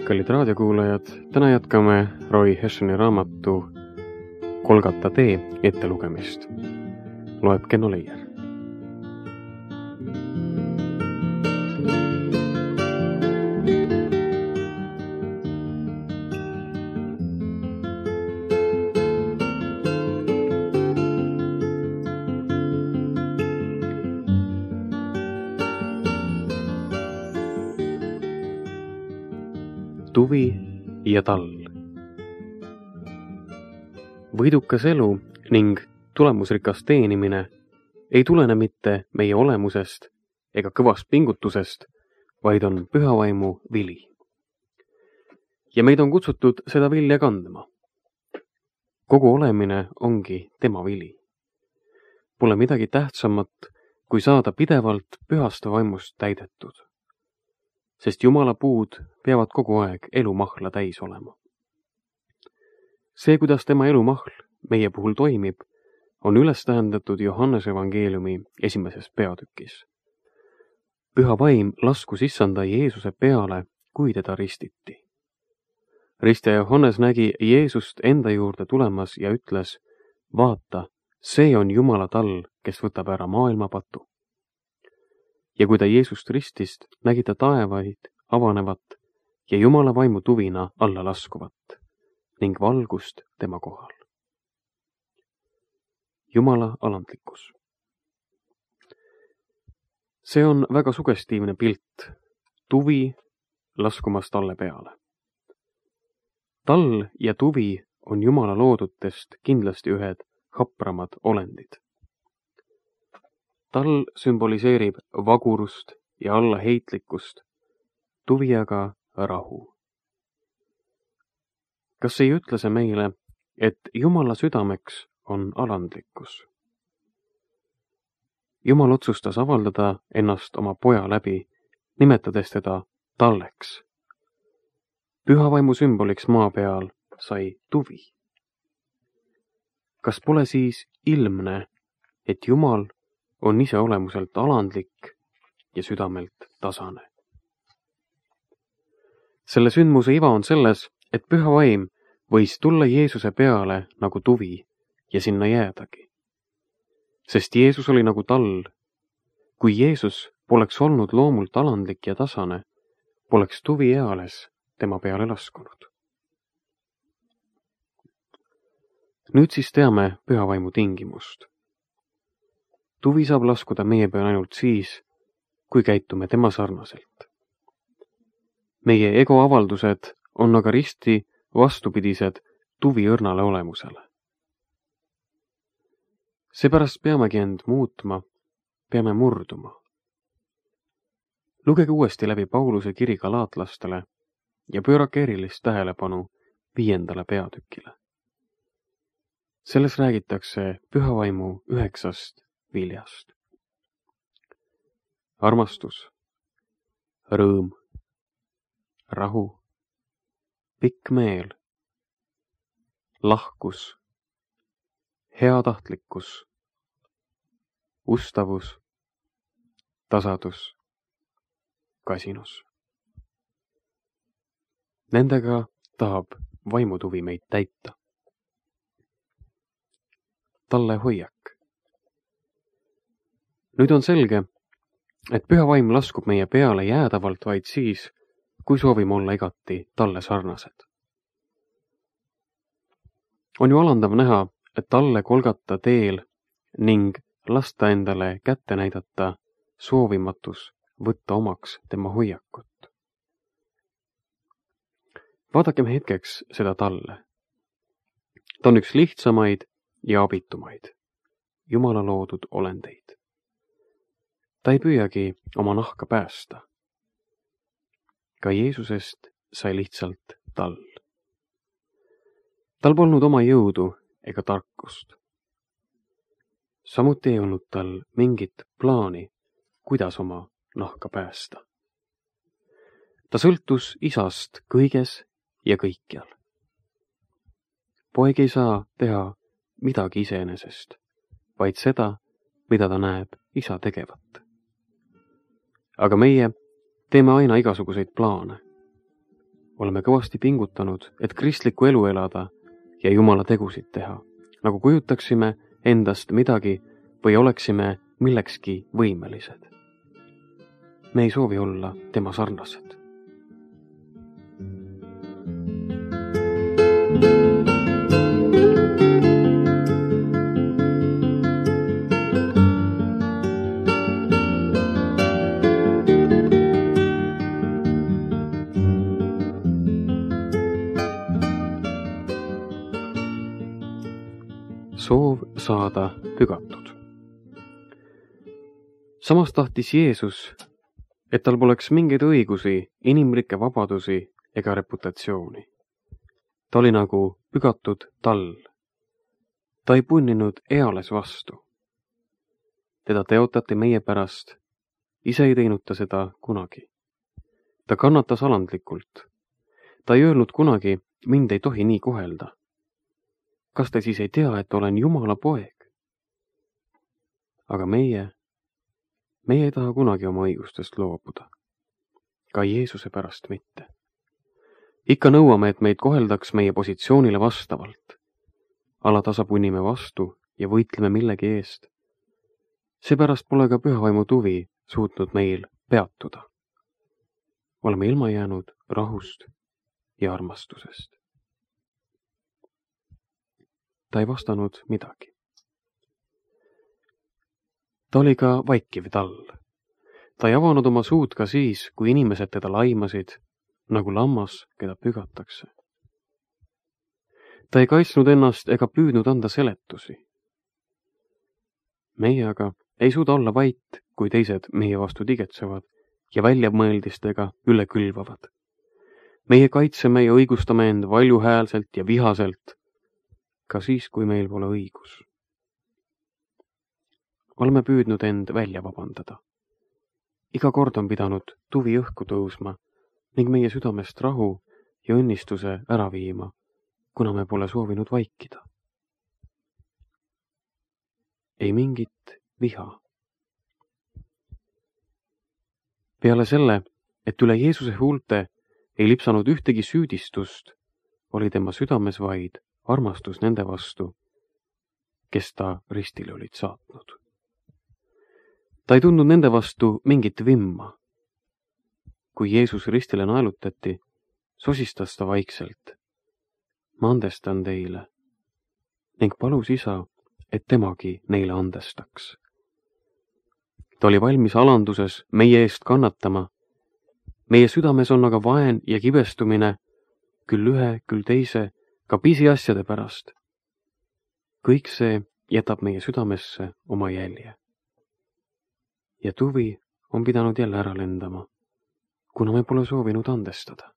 Kallid raadiokuulajad, täna jätkame Roy Hessoni raamatu Kolgata tee ettelugemist. Loeb Kenno Leier. Tuvi ja talv. Võidukas elu ning tulemusrikas teenimine ei tulene mitte meie olemusest ega kõvast pingutusest, vaid on pühavaimu vili. Ja meid on kutsutud seda vilja kandma. Kogu olemine ongi tema vili. Pole midagi tähtsamat, kui saada pidevalt pühast vaimust täidetud. Sest Jumala puud peavad kogu aeg elumahla täis olema. See, kuidas tema elumahl meie puhul toimib, on üles tähendatud Johannese evangeeliumi 1. peatükis. Püha vaim laskus issanda Jeesuse peale, kui teda ristiti. Ristja Johannes nägi Jeesust enda juurde tulemas ja ütles, vaata, see on Jumala tall, kes võtab ära maailma patu. Ja kui ta Jeesust ristist, nägi ta taevaid avanevat ja Jumala vaimu tuvina alla laskuvat ning valgust tema kohal. Jumala alandlikkus. See on väga sugestiivne pilt, tuvi laskumas talle peale. Tall ja tuvi on Jumala loodutest kindlasti ühed hapramad olendid. Tall sümboliseerib vagurust ja allaheitlikkust, tuvi aga rahu. Kas ei ütle see meile, et Jumala südameks on alandlikkus? Jumal otsustas avaldada ennast oma poja läbi, nimetades teda talleks. Pühavaimu sümboliks maa peal sai tuvi. Kas pole siis ilmne, et Jumal on ise olemuselt alandlik ja südamelt tasane? Selle sündmuse iva on selles, et püha vaim võis tulla Jeesuse peale nagu tuvi ja sinna jäädagi. Sest Jeesus oli nagu tall. Kui Jeesus poleks olnud loomult alandlik ja tasane, poleks tuvi eales tema peale laskunud. Nüüd siis teame püha vaimu tingimust. Tuvi saab laskuda meie peale ainult siis, kui käitume tema sarnaselt. Meie egoavaldused on aga risti vastupidised tuvi õrnale olemusele. Seepärast peamegi end muutma, peame murduma. Lugege uuesti läbi Pauluse kiri galaatlastele ja pöörake erilist tähelepanu 5. peatükile. Selles räägitakse pühavaimu 9 viljast. Armastus, rõõm, rahu, pikk meel, lahkus, heatahtlikkus, ustavus, tasadus, kasinus. Nendega tahab vaimutuvi meid täita. Talle hoiak. Nüüd on selge, et püha vaim laskub meie peale jäädavalt vaid siis, kui soovime olla igati talle sarnased. On ju alandav näha, et talle kolgata teel ning lasta endale kätte näidata soovimatus võtta omaks tema hoiakut. Vaadakem hetkeks seda talle. Ta on üks lihtsamaid ja abitumaid, Jumala loodud olendeid. Ta ei püüagi oma nahka päästa. Ka Jeesusest sai lihtsalt tall. Tal polnud oma jõudu ega tarkust. Samuti ei olnud tal mingit plaani, kuidas oma nahka päästa. Ta sõltus isast kõiges ja kõikjal. Poeg ei saa teha midagi iseenesest, vaid seda, mida ta näeb isa tegevat. Aga meie teeme aina igasuguseid plaane. oleme kõvasti pingutanud, et kristlikku elu elada ja Jumala tegusid teha, nagu kujutaksime endast midagi või oleksime millekski võimelised. Me ei soovi olla tema sarnased. Soov saada pügatud. Samas tahtis Jeesus, et tal poleks mingeid õigusi, inimlikke vabadusi ega reputatsiooni. Ta oli nagu pügatud tall. Ta ei punninud eales vastu. Teda teotati meie pärast, ise ei teinud ta seda kunagi. Ta kannatas alandlikult. Ta ei öelnud kunagi, mind ei tohi nii kohelda. Kas te siis ei tea, et olen Jumala poeg? Aga meie ei taha kunagi oma õigustest loobuda. Ka Jeesuse pärast mitte. Ikka nõuame, et meid koheldaks meie positsioonile vastavalt. Alatasa punnime vastu ja võitleme millegi eest. Seepärast pole ka pühavaimu tuvi suutnud meil peatuda. Oleme ilma jäänud rahust ja armastusest. Ta ei vastanud midagi. Ta oli ka vaikiv tall. Ta ei avanud oma suud ka siis, kui inimesed teda laimasid, nagu lammas, keda pügatakse. Ta ei kaitsnud ennast ega püüdnud anda seletusi. Meie aga ei suuda olla vait, kui teised meie vastu tigetsevad ja väljamõeldistega üle külvavad. Meie kaitseme ja õigustame end valjuhäälselt ja vihaselt, ka siis, kui meil pole õigus. Oleme püüdnud end välja vabandada. Iga kord on pidanud tuvi õhku tõusma ning meie südamest rahu ja õnnistuse ära viima, kuna me pole soovinud vaikida. Ei mingit viha. Peale selle, et üle Jeesuse huulte ei lipsanud ühtegi süüdistust, oli tema südames vaid armastus nende vastu, kes ta ristile olid saatnud. Ta ei tundnud nende vastu mingit vimma. Kui Jeesus ristile naelutati, sosistas ta vaikselt. Ma andestan teile ning palus isa, et temagi neile andestaks. Ta oli valmis alanduses meie eest kannatama. Meie südames on aga vaen ja kibestumine, küll ühe, küll teise, ka pisiasjade pärast. Kõik see jätab meie südamesse oma jälje. Ja tuvi on pidanud jälle ära lendama, kuna me pole soovinud andestada.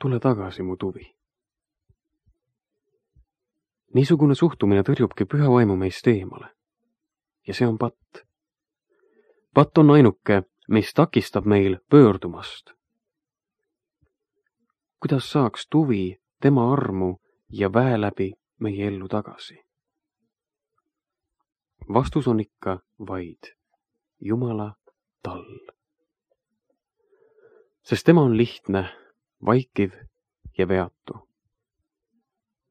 Tule tagasi, mu tuvi. Niisugune suhtumine tõrjubki püha vaimu meist eemale. Ja see on patt. Patt on ainuke, mis takistab meil pöördumast. Kuidas saaks tuvi tema armu ja väe läbi meie ellu tagasi? Vastus on ikka vaid Jumala tall. Sest tema on lihtne, vaikiv ja veatu.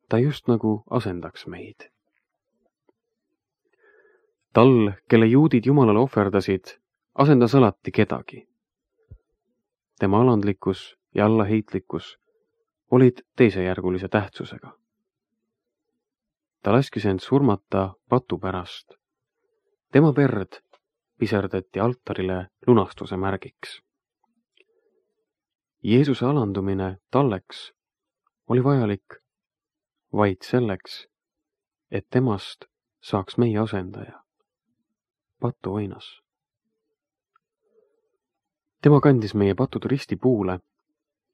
Ta just nagu asendaks meid. Tall, kelle juudid Jumalale ohverdasid, asendas alati kedagi. Tema alandlikkus ja allaheitlikkus olid teisejärgulise tähtsusega. Ta laskis end surmata patu pärast. Tema verd piserdati altarile lunastuse märgiks. Jeesuse alandumine talleks oli vajalik vaid selleks, et temast saaks meie asendaja, patuoinas. Tema kandis meie patud ristipuule,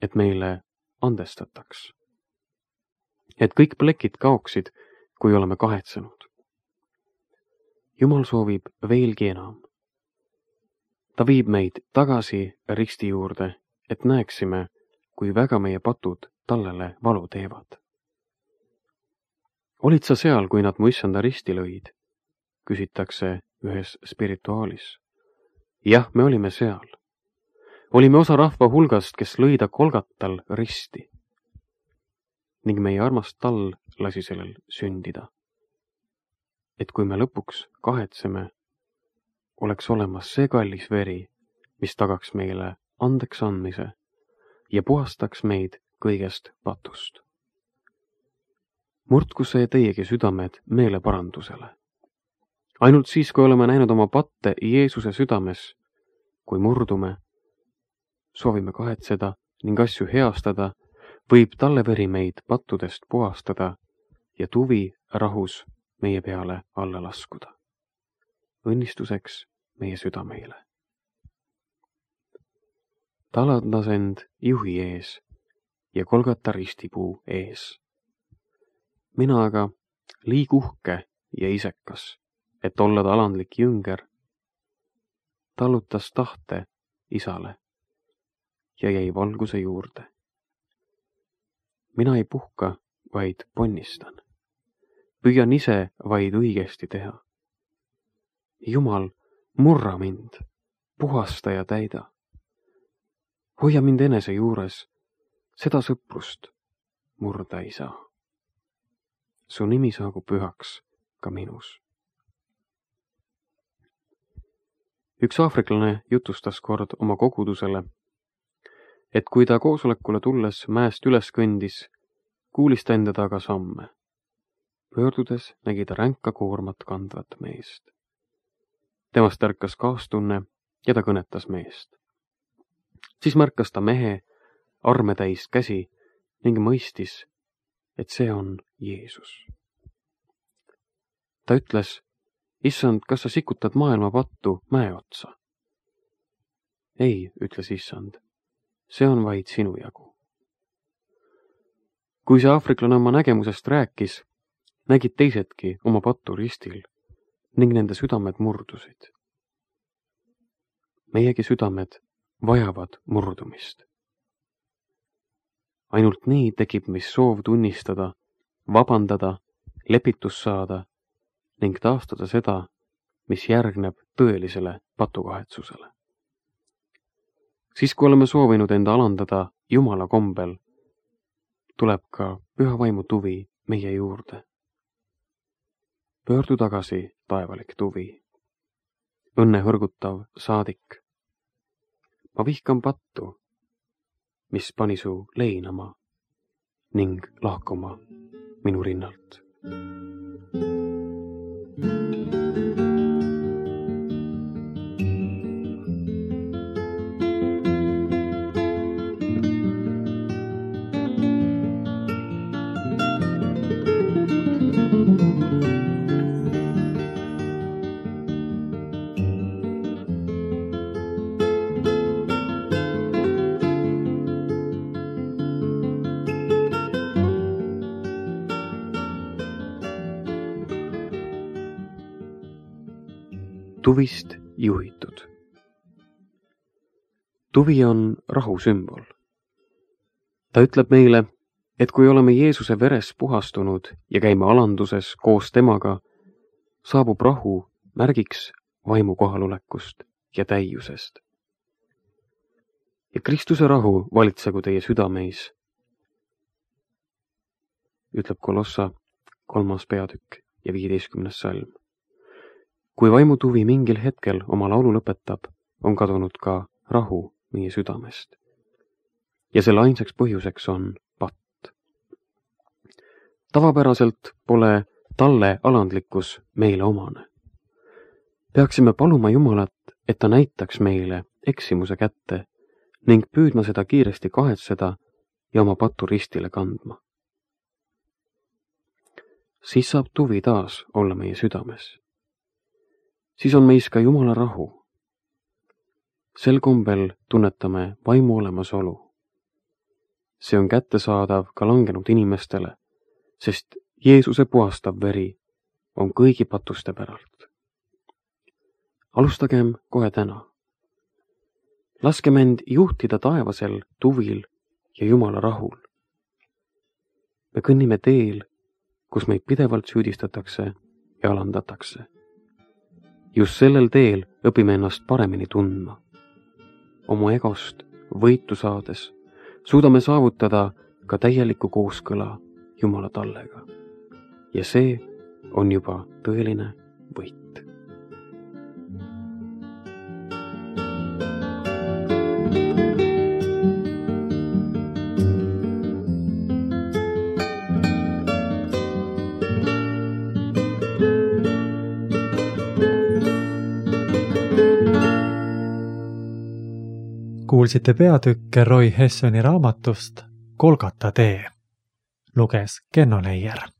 et meile andestataks. Et kõik plekid kaoksid, kui oleme kahetsenud. Jumal soovib veelgi enam. Ta viib meid tagasi risti juurde, et näeksime, kui väga meie patud tallele valu teevad. Olid sa seal, kui nad mu issanda risti lõid? Küsitakse ühes spirituaalis. Jah, me olime seal. olime osa rahva hulgast, kes lõi ta Kolgatal risti. Ning meie armas tall lasi sellel sündida. Et kui me lõpuks kahetseme, oleks olemas see kallis veri, mis tagaks meile andeks andmise ja puhastaks meid kõigest patust. Murdku see teiegi südamed meeleparandusele. Ainult siis, kui oleme näinud oma patte Jeesuse südames, kui murdume, soovime kahetseda ning asju heastada, võib talle veri meid pattudest puhastada ja tuvi rahus meie peale alla laskuda. Õnnistuseks meie südameile. Talandas end juhi ees ja Kolgata ristipuu ees. Mina aga, liig uhke ja isekas, et olla ta alandlik jünger, tallutas tahte isale ja jäi valguse juurde. Mina ei puhka, vaid ponnistan. Püüan ise vaid õigesti teha. Jumal, murra mind, puhasta ja täida. Hoia mind enese juures, seda sõprust murda ei saa. Su nimi saagu pühaks ka minus. Üks aafriklane jutustas kord oma kogudusele, et kui ta koosolekule tulles mäest üles kõndis, kuulis ta enda taga samme. Pöördudes nägi ta ränka koormat kandvat meest. Temast ärkas kaastunne ja ta kõnetas meest. Siis märkas ta mehe armetäis käsi ning mõistis, et see on Jeesus. Ta ütles, issand, kas sa sikutad maailma pattu mäe otsa? Ei, ütles issand, see on vaid sinu jagu. Kui see aafriklane oma nägemusest rääkis, nägid teisedki oma pattu ristil ning nende südamed murdusid. Meiegi südamed vajavad murdumist. Ainult nii tekib meis soov tunnistada, vabandada, lepitus saada ning taastada seda, mis järgneb tõelisele patukahetsusele. Siis, kui oleme soovinud enda alandada Jumala kombel, tuleb ka püha vaimu tuvi meie juurde. Pöördu tagasi, taevalik tuvi. Õnne hõrgutav saadik. Ma vihkan pattu, mis pani su leinama ning lahkuma minu rinnalt. Tuvist juhitud. Tuvi on rahu sümbol. Ta ütleb meile, et kui oleme Jeesuse veres puhastunud ja käime alanduses koos temaga, saabub rahu märgiks vaimu kohalolekust ja täiusest. Ja Kristuse rahu valitsegu teie südameis, ütleb Kolossa 3. peatükk ja 15. salm. Kui vaimutuvi mingil hetkel oma laulu lõpetab, on kadunud ka rahu meie südamest. Ja selle ainsaks põhjuseks on patt. Tavapäraselt pole talle alandlikkus meile omane. Peaksime paluma Jumalat, et ta näitaks meile eksimuse kätte ning püüdma seda kiiresti kahetseda ja oma pattu ristile kandma. Siis saab tuvi taas olla meie südames. Siis on meis ka Jumala rahu. Sel kombel tunnetame vaimu olemasolu. See on kättesaadav ka langenud inimestele, sest Jeesuse puhastav veri on kõigi patuste päralt. Alustagem kohe täna. Laskem end juhtida taevasel tuvil ja Jumala rahul. Me kõnnime teel, kus meid pidevalt süüdistatakse ja alandatakse. Just sellel teel õpime ennast paremini tundma. oma egost võitu saades suudame saavutada ka täieliku kooskõla Jumala tallega. Ja see on juba tõeline võit. Kuulsite peatükke Roy Hessoni raamatust Golgata tee. Luges Kenno Leier.